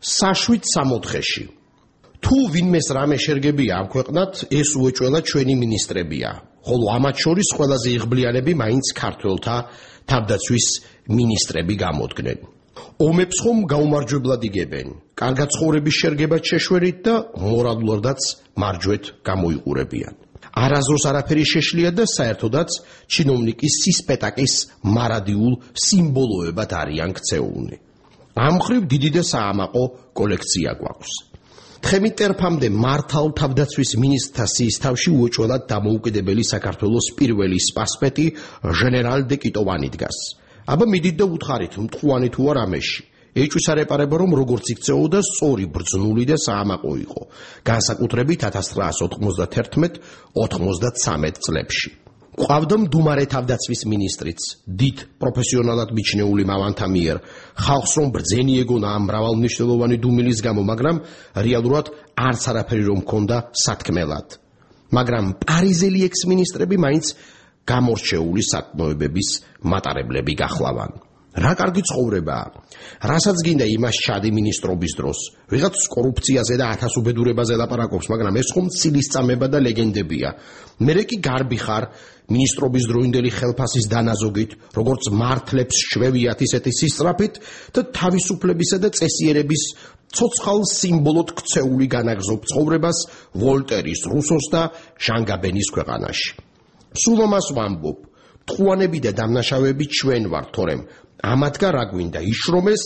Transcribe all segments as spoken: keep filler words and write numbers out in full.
საშვიდ სამოთხეში. თუ ვინმეს რამე შერგებია ამ ქვეყნად, ეს უეჭველად ჩვენი მინისტრებია, ხოლო ამათ შორის ყველაზე იღბლიანები მაინც ქართველთა თავდაცვის მინისტრები გამოდგნენ. ომებს ხომ გაუმარჯვებლად იგებენ, კარგად ცხოვრების შერგებად შეშვერით და მორალურადაც მარჯვეთ გამოიყურებიან. არასდროს არაფერი შეშლია და საერთოდაც ჩინოვნიკის სისპეტაკის მარადიულ სიმბოლოებად არიან ქცეულნი. ამ მხრივ დიდი და საამაყო კოლექცია გვაქვს. თხემი ტერფამდე მართალ თავდაცვის მინისტრთა სიისთავში უეჭველად დამოუკიდებელი საქართველოს პირველი სპასპეტი ჟენერალ დე კიტოვანი დგას. აბა მიდით და უთხარით, მტყუანი თუ არ ამეში. ეჭვის არეპარება, რომ როგორც იქცეოდა, სწორი, ბრძნული და საამაყო იყო, განსაკუთრებით ათას ცხრაას ოთხმოცდათერთმეტ ოთხმოცდათსამეტ წლებში. ყავდა მდუმარე თავდაცვის მინისტრიც, დიდ პროფესიონალად მიჩნეული მამანთა მიერ, ხალხს რომ ბრძენი ეგონა ამ მრავალმნიშვნელოვანი დუმილის გამო, მაგრამ რეალურად არც არაფერი რომ მქონდა სათქმელად. მაგრამ პარიზელი ექს-მინისტრები მაინც გამორჩეული საკმოებების მატარებლები გახლავან. რა კარგი ცხოვრებაა, რასაც გინდა იმას ჩადი მინისტრობის დროს, ვიღაც კორუფციაზე და ათასუბედურებაზე ლაპარაკობს, მაგრამ ეს ხომ ცილისწამება და ლეგენდებია. მერე კი გარბი ხარ მინისტრობის დროინდელი ხელფასის დანაზოგით, როგორც მართლებს შვევიათ ისეთი სისწრაფით და თავისუფლებისა და წესიერების ცოცხალ სიმბოლოდ ქცეული განაგზობ ცხოვრებას ვოლტერის, რუსოს და ჟან გაბენის ქვეყანაში. სულ ამას ვამბობ, მტყუანები და დამნაშავეები ჩვენ ვართ, თორემ ამათგან რა გვინდა იშრომეს,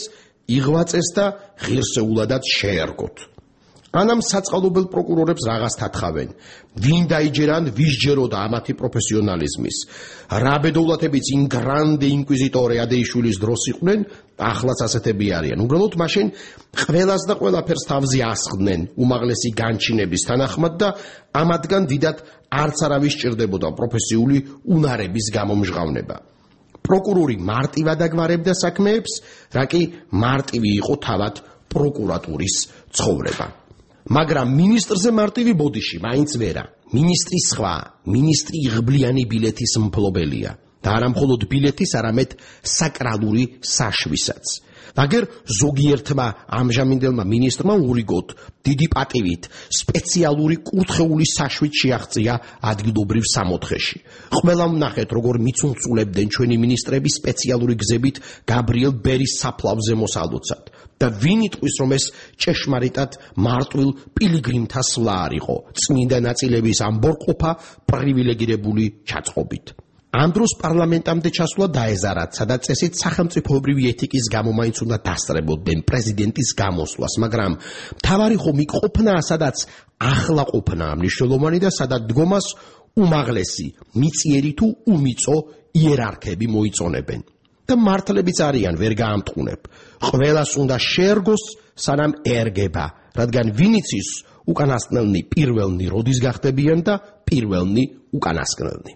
იღვაწეს და ღირსეულადაც შეერგოთ. ანამ საწყალობელ პროკურორებს რაღაც თათხავენ, ვინ დაიჯერან, ვის ჯეროდა ამათი პროფესიონალიზმის. რა ბედოვლათებიც იმ გრანდე ინკვიზიტორე ადეიშვილის დროს იყვნენ, ახლაც ასეთები არიან. უბრალოდ მაშინ ყველას და ყველაფერს თავზე ასხდნენ უმაღლესი განჩინების თანახმად და ამათგან დიდად არც არავის სჭირდებოდა პროფესიული უნარების გამომჟღავნება. პროკურორი მარტივად აგვარებდა საქმეებს, რა კი მარტივი იყო თავად პროკურატურის ცხოვრება. მაგრამ მინისტრზე მარტივი ბოდიში მაინც ვერა. მინისტრი სხვა, მინისტრი იღბლიანი ბილეთის მფლობელია და არა მხოლოდ ბილეთის, არამედ საკრალური საშვისაც. აგერ ზოგიერთმა ამჟამინდელმა მინისტრმა ურიგოთ დიდი პატივით სპეციალური კურთხეული საშვით შეაღწია ადგილობრივ სამოთხეში. ყველამ ნახეთ, როგორ მიცუნწულებდნენ ჩვენი მინისტრები სპეციალური გზებით გაბრიელ ბერის საფლავზე მოსალოცად. და ვინ იტყვის, რომ ეს ჭეშმარიტად მარტვილ პილიგრიმთა სვლა არ იყო, წმინდა ნაწილების ამბორყოფა პრივილეგირებული ჩაწყობით. ამ დროს პარლამენტამდე ჩასვლა დაეზარათ, სადაც წესით სახელმწიფოებრივი ეთიკის გამო მაინც უნდა დასწრებოდნენ პრეზიდენტის გამოსვლას, მაგრამ მთავარი ხომ იქ ყოფნა, სადაც ახლა ყოფნა მნიშვნელოვანი და სადაც დგომას უმაღლესი, მიწიერი თუ უმიწო იერარქები მოიწონებენ. და მართლებიც არიან, ვერ გაამტყუნებ. ყველას უნდა შეერგოს, სანამ ერგება, რადგან ვინ იცის უკანასკნელნი პირველნი როდის გახდებიან და პირველნი უკანასკნელნი.